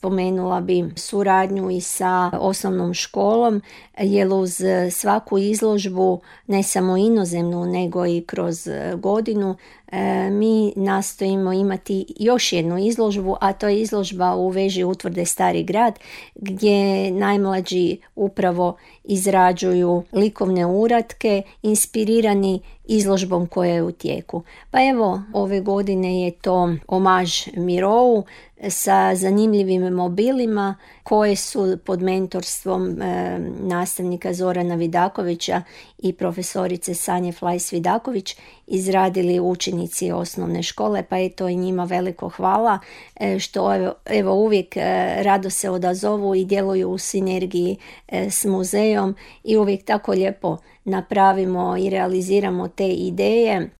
spomenula bi suradnju i sa osnovnom školom, jer uz svaku izložbu, ne samo inozemnu nego i kroz godinu, mi nastojimo imati još jednu izložbu, a to je izložba u veži utvrde Stari grad, gdje najmlađi upravo izrađuju likovne uratke inspirirani izložbom koja je u tijeku. Pa evo, ove godine je to omaž Mirovu sa zanimljivim mobilima koje su pod mentorstvom nastavnika Zorana Vidakovića i profesorice Sanje Flajs-Vidaković izradili učenici osnovne škole, pa je to i njima veliko hvala što evo uvijek rado se odazovu i djeluju u sinergiji s muzejom i uvijek tako lijepo napravimo i realiziramo te ideje